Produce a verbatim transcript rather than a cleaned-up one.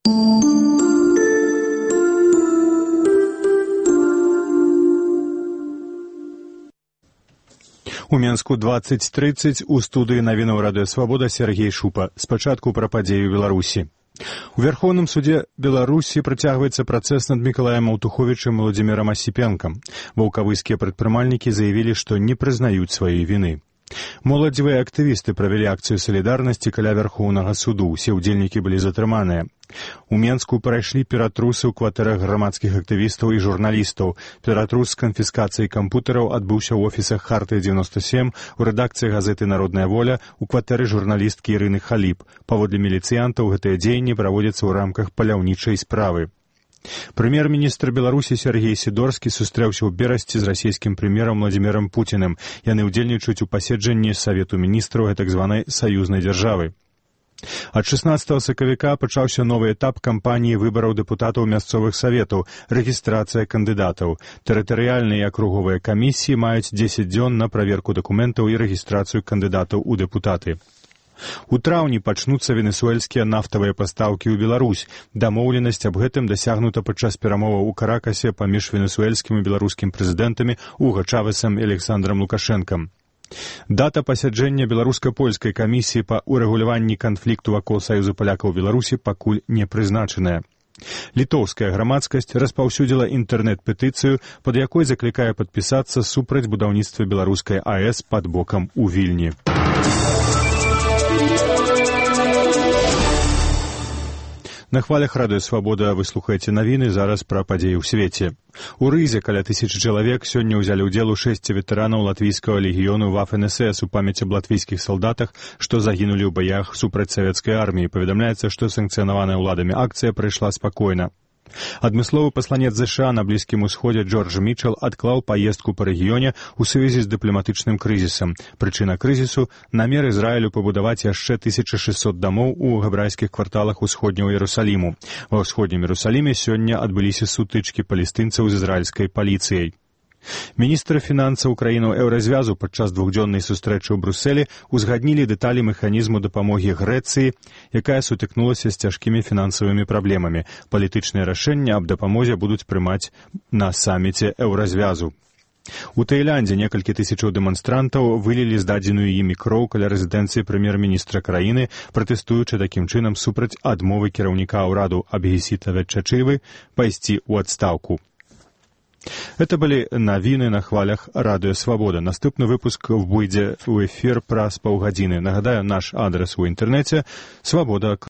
У Менску двадцать тридцать у студыі навінаў Радыё Свабода Сергей Шупа. Спачатку пра падзеі ў Беларусі. У Верховным суде Беларусі працягваецца працэс над Мікалаем Аўтуховічам і Владзімірам Асіпенкам. Ваўкавыскія прадпрымальнікі заявілі, што не прызнаюць сваёй віны. Моладзевыя актывісты правялі акцыю салідарнасці каля Верхоўнага суду. Усе ўдзельнікі былі затрыманыя. У Менску прайшлі ператрусы ў кватэрах грамадскіх актывістаў і журналістаў. Ператрус з канфіскацыяй кампутараў адбыўся ў офісах Харты дзевяносто сем, у рэдакцыі газеты «Народная воля», у кватэры журналісткі Ірыны Халіп. Паводле міліцыянтаў, гэтыя дзеянні праводзяцца ў рамках паляўнічай справы. Прэм'ер-міністр Беларусі Сергей Сідорскі сустрэўся ў Берасці з расійскім прэм'ерам Владзімірам Пуціным. Яны ўдзельнічаюць у паседжанні Савету міністраў гэтак званай саюзнай дзяржавы. Ад шаснаццатага сакавіка пачаўся новы этап кампаніі выбараў дэпутатаў мясцовых саветаў, рэгістрацыя кандыдатаў. Тэрытарыяльныя і акруговыя камісіі маюць дзесяць дзён на праверку дакументаў і рэгістрацыю кандыдатаў у дэпутаты. У траўні пачнуцца венесуэльскія нафтавыя пастаўкі ў Беларусь. Дамоўленасць аб гэтым дасягнута падчас перамоваў у Каракасе паміж венесуэльскім і беларускім прэзідэнтамі Уго Чавесам і Александрам Лукашэнкам. Дата пасяджэння беларуска-польскай камісіі па ўрэгуляванні канфлікту вакол Саюза палякаў Беларусі пакуль не прызначаная. Літоўская грамадскасць распаўсюдзіла інтэрнэт-петыцыю, пад якой заклікае падпісацца супраць будаўніцтва беларускай АЭС пад бокам у Вільні. На хвалях Радыё Свабода вы слухаеце навіны, зараз пра падзеі ў свеце. У Рызе каля тысячы чалавек сёння ўзялі ўдзел у шэсці ветэранаў латвійскага легіёну Вафен-эс-эс у памяць аб латвійскіх салдатах, што загінулі ў баях супраць савецкай арміі. Паведамляецца, што санкцыянаваная ўладамі акцыя прайшла спакойна. Адмысловы пасланец ЗША на Блізкім Усходзе Джордж Мітчел адклаў паездку па рэгіёне ў сувязі з дыпламатычным крызісам. Прычына крызісу – намер Ізраілю пабудаваць яшчэ тысяча шэсцьсот дамоў у габрайскіх кварталах усходняга Іерусаліму. Ва ўсходнім Іерусаліме сёння адбыліся сутычкі палестынцаў з ізраільскай паліцыяй. Міністры фінансаў краінаў Еўразвязу падчас двухдзённай сустрэчы ў Брусэлі узгаднілі дэталі механізму дапамогі Грэцыі, якая сутыкнулася з цяжкімі фінансавымі праблемамі. Палітычныя рашэнні аб дапамозе будуць прымаць на саміце Еўразвязу. У Таіландзе некалькі тысячаў дэманстрантаў вылілі здадзеную імі кроў каля рэзідэнцыі прэм'ер-міністра краіны, пратэстуючы такім чынам супраць адмовы кіраўніка ўраду Абхісіта Ветчачылы пайсці ў адстаўку. Это былі навіны на хвалях Радыё Свабода. Наступны выпуск выйдзе ў эфір праз паўгадзіны. Нагадаю, наш адрес у інтэрнэце свабода.